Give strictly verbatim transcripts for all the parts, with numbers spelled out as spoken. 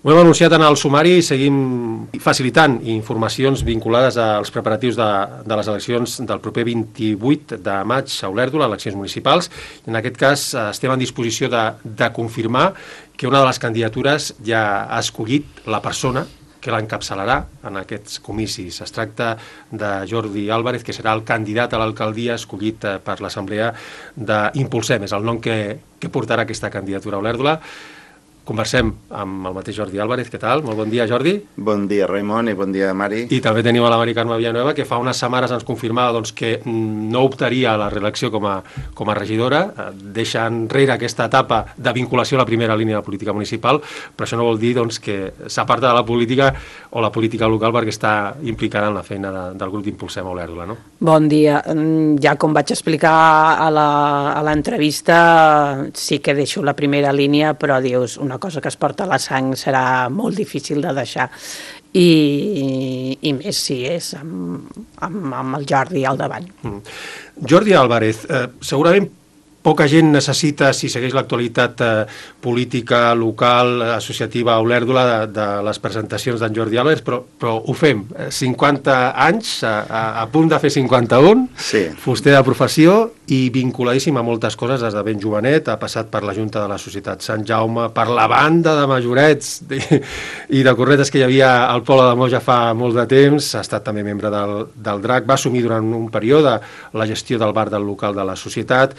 Ho hem anunciat en el sumari i seguim facilitant informacions vinculades als preparatius de, de les eleccions del proper vint-i-vuit de maig a Olèrdola, eleccions municipals. En aquest cas estem en disposició de, de confirmar que una de les candidatures ja ha escollit la persona que l'encapçalarà en aquests comicis. Es tracta de Jordi Álvarez, que serà el candidat a l'alcaldia escollit per l'assemblea d'Impulsem. És el nom que, que portarà aquesta candidatura a Olèrdola. Conversem amb el mateix Jordi Álvarez. Què tal? Molt bon dia, Jordi. Bon dia, Raimon, i bon dia, Mari. I també tenim a la Mari Carme Villanueva, que fa unes setmanes ens confirmava doncs, que no optaria a la reelecció com a, com a regidora. Deixa enrere aquesta etapa de vinculació a la primera línia de la política municipal, però això no vol dir doncs, que s'aparta de la política o la política local perquè està implicada en la feina de, del grup d'Impulsem a Olèrdola, no? Bon dia. Ja com vaig explicar a l'entrevista, sí que deixo la primera línia, però dius una cosa que es porta a la sang serà molt difícil de deixar i, i més si és amb, amb, amb el Jordi al davant. Mm. Jordi Álvarez, eh, segurament poca gent necessita, si segueix l'actualitat eh, política, local, associativa a Olèrdola, de, de les presentacions d'en Jordi Álvarez, però, però ho fem. cinquanta anys, a, a, a punt de fer cinquanta-un, sí. Fuster de professió i vinculadíssim a moltes coses des de ben jovenet, ha passat per la Junta de la Societat Sant Jaume, per la banda de majorets de, i de cornetes que hi havia al poble de Moja fa molt de temps, ha estat també membre del, del DRAC, va assumir durant un període la gestió del bar del local de la societat,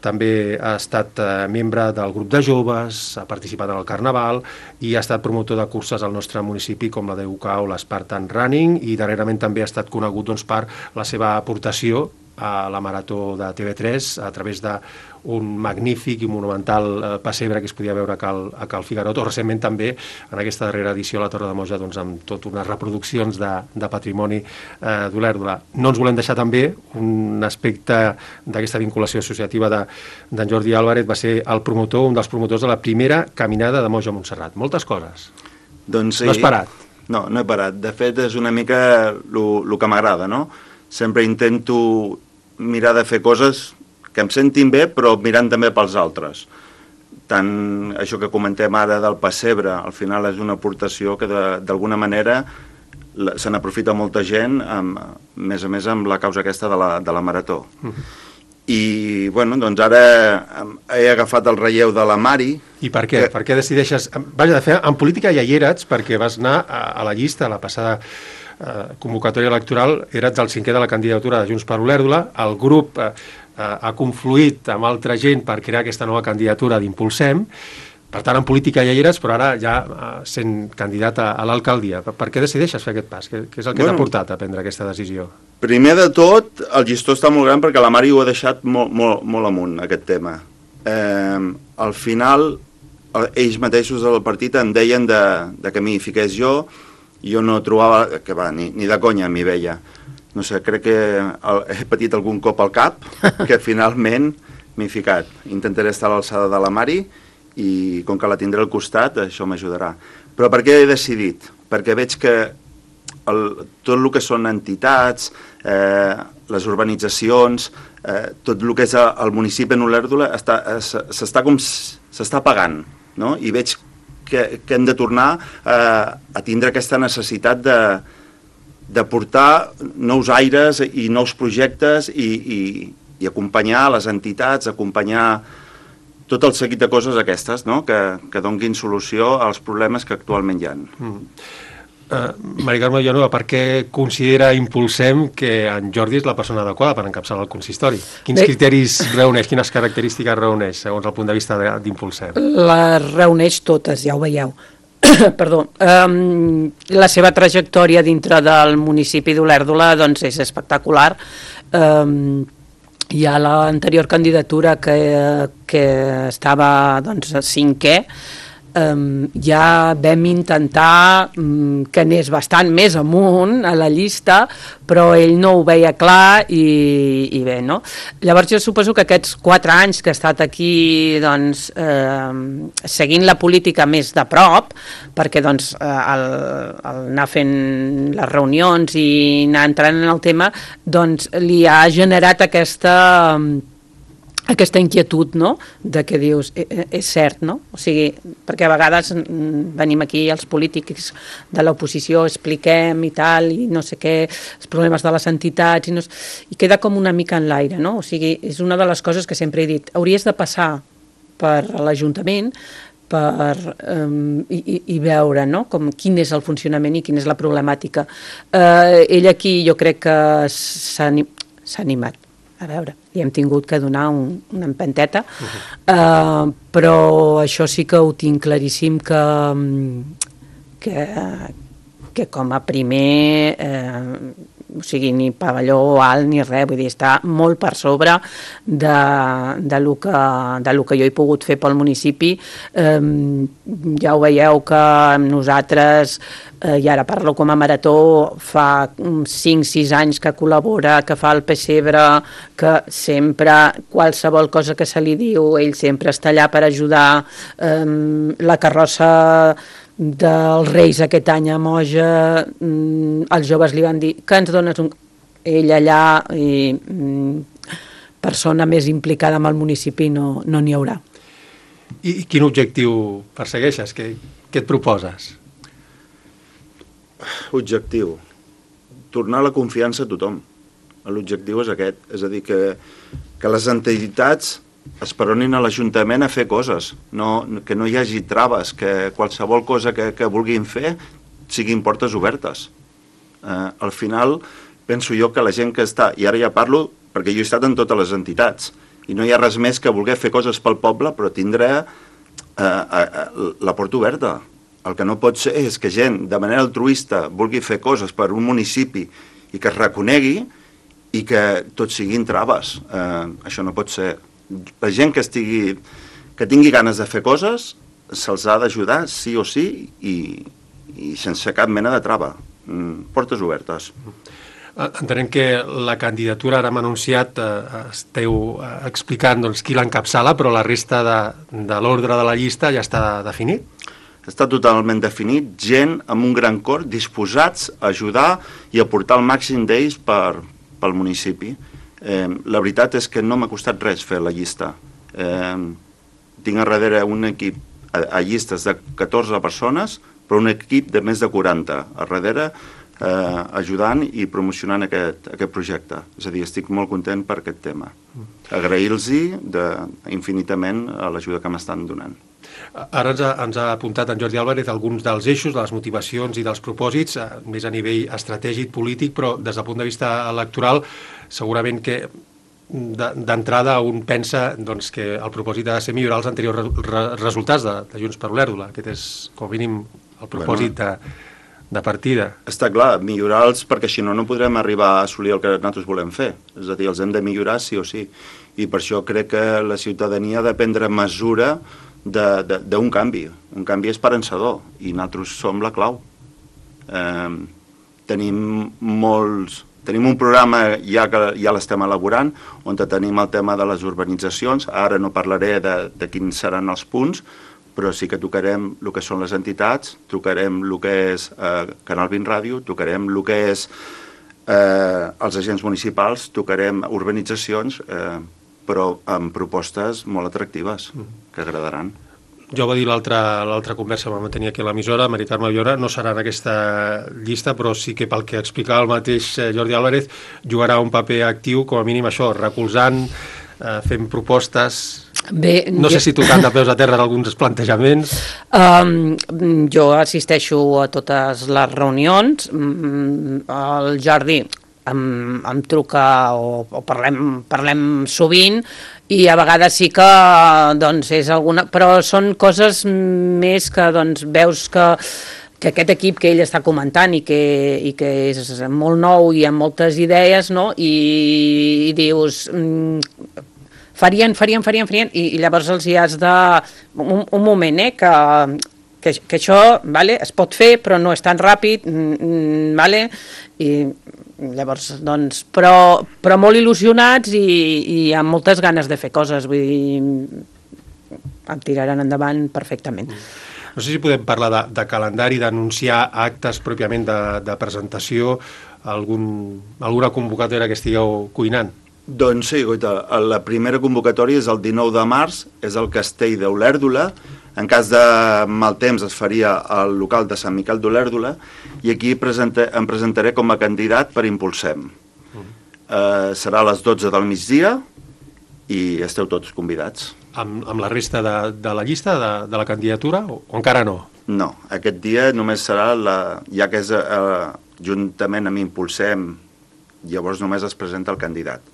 també ha estat eh, membre del grup de joves, ha participat en el Carnaval i ha estat promotor de curses al nostre municipi com la D U C A o l'Spartan Running i darrerament també ha estat conegut doncs, per la seva aportació a la Marató de T V tres a través d'un magnífic i monumental eh, pessebre que es podia veure a Cal, a Cal Figarot, o recentment també en aquesta darrera edició a la Torre de Moja doncs, amb tot unes reproduccions de, de patrimoni eh, d'Olèrdola. No ens volem deixar també un aspecte d'aquesta vinculació associativa d'en Jordi Álvarez, va ser el promotor, un dels promotors de la primera caminada de Moja a Montserrat. Moltes coses. Doncs sí. No has parat? No, no he parat. De fet, és una mica el que m'agrada, no? Sempre intento mirar de fer coses que em sentin bé, però mirant també pels altres. Tant això que comentem ara del pessebre, al final és una aportació que d'alguna manera se n'aprofita molta gent, amb, més a més amb la causa aquesta de la, de la Marató. Uh-huh. I, bueno, doncs ara he agafat el relleu de la Mari. I per què? Que... Per què decideixes... Vaja, de fet, en política ja hi eres, perquè vas anar a, a la llista, a la passada eh, convocatòria electoral, eres el cinquè de la candidatura de Junts per Olèrdola, el grup eh, ha confluït amb altra gent per crear aquesta nova candidatura d'Impulsem, per tant, en política ja hi eres, però ara ja eh, sent candidat a, a l'alcaldia. Per, per què decideixes fer aquest pas? Què, què és el que bueno, t'ha portat a prendre aquesta decisió? Primer de tot, el llistó està molt gran perquè la Mari ho ha deixat molt, molt, molt amunt, aquest tema. Eh, al final, ells mateixos del partit em deien de, de que m'hi fiqués jo, i jo no trobava, que va, ni, ni de conya m'hi veia. No sé, crec que el, he patit algun cop al cap, que finalment m'hi he ficat. Intentaré estar a l'alçada de la Mari, i com que la tindré al costat, això m'ajudarà. Però per què he decidit? Perquè veig que el, tot el que són entitats, eh, les urbanitzacions, eh, tot el que és el municipi en Olèrdola s'està com s'està pagant, no? I veig que, que hem de tornar eh, a tindre aquesta necessitat de, de portar nous aires i nous projectes i, i, i acompanyar les entitats, acompanyar tot el seguit de coses aquestes, no? que, que donguin solució als problemes que actualment hi ha. Mm. Uh, Mari Carme Villanueva, per què considera Impulsem que en Jordi és la persona adequada per encapçalar el consistori? Quins Bé, criteris reuneix, quines característiques reuneix, segons el punt de vista d'Impulsem? Les reuneix totes, ja ho veieu. Perdó. Um, la seva trajectòria dintre del municipi d'Olèrdola doncs, és espectacular. Um, Hi ha l'anterior candidatura que, que estava doncs, cinquè, um, ja vam intentar um, que anés bastant més amunt a la llista, però ell no ho veia clar i, i bé, no? Llavors jo suposo que aquests quatre anys que he estat aquí doncs, eh, seguint la política més de prop, perquè doncs, el, el anar fent les reunions i anar entrant en el tema, doncs li ha generat aquesta aquesta inquietud, no?, de què dius, eh, és cert, no? O sigui, perquè a vegades venim aquí els polítics de l'oposició, expliquem i tal, i no sé què, els problemes de les entitats, i, no, i queda com una mica en l'aire, no? O sigui, és una de les coses que sempre he dit, hauries de passar per l'Ajuntament per, um, i, i, i veure, no?, com quin és el funcionament i quina és la problemàtica. Eh, ell aquí jo crec que s'ha animat. A veure, li hem tingut que donar un, una empenteta, uh-huh. uh, però això sí que ho tinc claríssim que, que, que com a primer, eh, o sigui, ni pavelló alt ni res, vull dir, està molt per sobre de, de, lo que, de lo que jo he pogut fer pel municipi. Eh, ja ho veieu que nosaltres, eh, i ara parlo com a Marató, fa cinc sis anys que col·labora, que fa el pessebre, que sempre, qualsevol cosa que se li diu, ell sempre està allà per ajudar. Eh, la carrossa dels Reis aquest any a Moja, els joves li van dir que ens dones un... Ell allà, i, persona més implicada amb el municipi, no n'hi no haurà. I, I quin objectiu persegueixes? Què, què et proposes? Objectiu. Tornar la confiança a tothom. L'objectiu és aquest. És a dir, que, que les entitats esperonin a l'Ajuntament a fer coses, no, que no hi hagi traves, que qualsevol cosa que, que vulguin fer siguin portes obertes. Eh, al final, penso jo que la gent que està, i ara ja parlo perquè jo he estat en totes les entitats, i no hi ha res més que voler fer coses pel poble, però tindrà eh, eh, la porta oberta. El que no pot ser és que gent de manera altruista vulgui fer coses per un municipi i que es reconegui i que tot siguin traves. Eh, això no pot ser. La gent que estigui, que tingui ganes de fer coses, se'ls ha d'ajudar sí o sí i, i sense cap mena de trava. Portes obertes. Entenem que la candidatura, ara hem anunciat, eh, esteu explicant doncs, qui l'encapçala, però la resta de, de l'ordre de la llista ja està definit? Està totalment definit, gent amb un gran cor disposats a ajudar i a portar el màxim d'ells per, pel municipi. Eh, la veritat és que no m'ha costat res fer la llista. Eh, tinc a darrere un equip a, a llistes de catorze persones, però un equip de més de quaranta a darrere eh, ajudant i promocionant aquest, aquest projecte. És a dir, estic molt content per aquest tema. Agrair-los infinitament a l'ajuda que m'estan donant. Ara ens ha, ens ha apuntat en Jordi Álvarez alguns dels eixos, de les motivacions i dels propòsits, més a nivell estratègic, polític, però des del punt de vista electoral, segurament que d'entrada un pensa doncs, que el propòsit ha de ser millorar els anteriors re, re, resultats de, de Junts per Olèrdola. Aquest és, com a mínim, el propòsit bueno, de, de partida. Està clar, millorar-los, perquè si no, no podrem arribar a assolir el que nosaltres volem fer. És a dir, els hem de millorar sí o sí. I per això crec que la ciutadania ha de prendre mesura d'un canvi, un canvi esperançador, i nosaltres som la clau. Eh, tenim molts, tenim un programa ja que ja l'estem elaborant, on tenim el tema de les urbanitzacions. Ara no parlaré de, de quins seran els punts, però sí que tocarem el que són les entitats, tocarem el que és eh, Canal vint Ràdio, tocarem el que és eh, els agents municipals, tocarem urbanitzacions, eh, però amb propostes molt atractives, que agradaran. Jo va dir l'altra conversa que vam tenir aquí a l'emissora, Mari Carme Villora, no serà en aquesta llista, però sí que pel que explicava el mateix Jordi Álvarez, jugarà un paper actiu, com a mínim això, recolzant, eh, fent propostes... Bé, no jo... sé si tocant de peus a terra alguns plantejaments. Um, jo assisteixo a totes les reunions. El Jordi em, em truca o, o parlem, parlem sovint, i a vegades sí que doncs, és alguna... Però són coses més que doncs, veus que, que aquest equip que ell està comentant i que, i que és molt nou i amb moltes idees, no? I, i dius... Mm, farien, farien, farien, farien, i, i llavors els hi has de... Un, un moment, eh, que, que, que això vale, es pot fer, però no és tan ràpid, mm, vale? I llavors, doncs, però, però molt il·lusionats i, i amb moltes ganes de fer coses, vull dir, em tiraran endavant perfectament. No sé si podem parlar de, de calendari, d'anunciar actes pròpiament de, de presentació, algun, alguna convocatòria que estigueu cuinant. Doncs sí, guaita, la primera convocatòria és el dinou de març, és el castell d'Olèrdola. En cas de mal temps es faria al local de Sant Miquel d'Olèrdola i aquí presenta, em presentaré com a candidat per Impulsem. Uh-huh. eh, serà a les dotze del migdia i esteu tots convidats. Amb, amb la resta de, de la llista, de, de la candidatura, o, o encara no? No, aquest dia només serà, la, ja que és eh, juntament amb Impulsem, llavors només es presenta el candidat.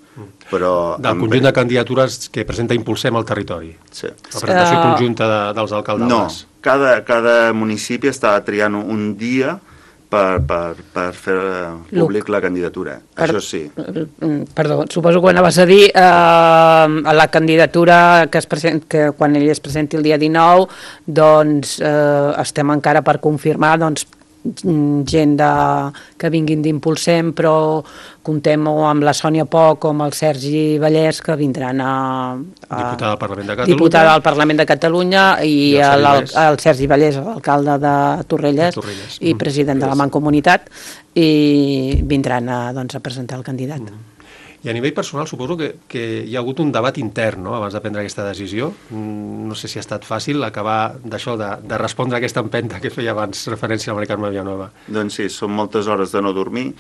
Però del conjunt de candidatures que presenta Impulsem al territori. Sí. La presentació uh... conjunta de, dels alcaldes. No, cada, cada municipi està triant un dia per, per, per fer públic Luc. la candidatura. Per, Això sí. Perdó, suposo que ho anaves a dir, eh, la candidatura que, es present, que quan ell es presenti el dia dinou, doncs eh, estem encara per confirmar, doncs, gent de, que vinguin d'Impulsem, però comptem amb la Sònia Poch o amb el Sergi Vallès, que vindran a... a diputada del Parlament de Catalunya. Diputada del Parlament de Catalunya i, I el, el, el Sergi Vallès, l'alcalde de Torrelles, Torrelles. i president mm. de la Mancomunitat, i vindran a, doncs, a presentar el candidat. Mm. I a nivell personal suposo que, que hi ha hagut un debat intern, no?, abans de prendre aquesta decisió. No sé si ha estat fàcil acabar d'això, de, de respondre a aquesta empenta que feia abans referència a la Mari Carme Vilanova. Doncs sí, són moltes hores de no dormir.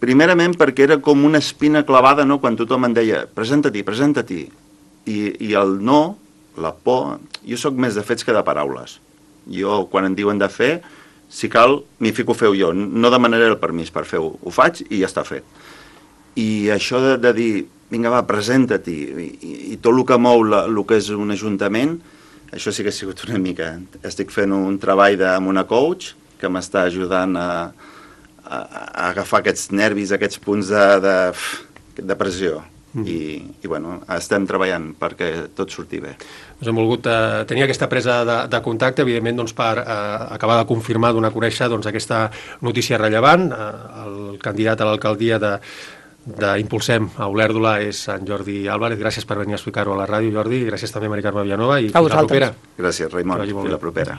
Primerament perquè era com una espina clavada, no?, quan tothom em deia presenta-t'hi, presenta-t'hi. I, I el no, la por, jo sóc més de fets que de paraules. Jo, quan em diuen de fer, si cal, m'hi fico a fer-ho jo. No demanaré el permís per fer-ho. Ho faig i ja està fet. I això de, de dir, vinga va, presenta-t'hi, i, i, i tot el que mou la, el que és un ajuntament, això sí que ha sigut una mica. Estic fent un treball de, amb una coach que m'està ajudant a, a, a agafar aquests nervis, aquests punts de, de, de pressió. Mm. I, i bueno, estem treballant perquè tot surti bé. Doncs hem volgut eh, tenir aquesta presa de, de contacte, evidentment, doncs, per eh, acabar de confirmar, donar a conèixer doncs, aquesta notícia rellevant. Eh, el candidat a l'alcaldia de d'Impulsem a Olèrdola és en Jordi Álvarez. Gràcies per venir a explicar-ho a la ràdio, Jordi. Gràcies també a Mari Carme Vilanova i fins la propera. Gràcies, Raimon. Fins la propera.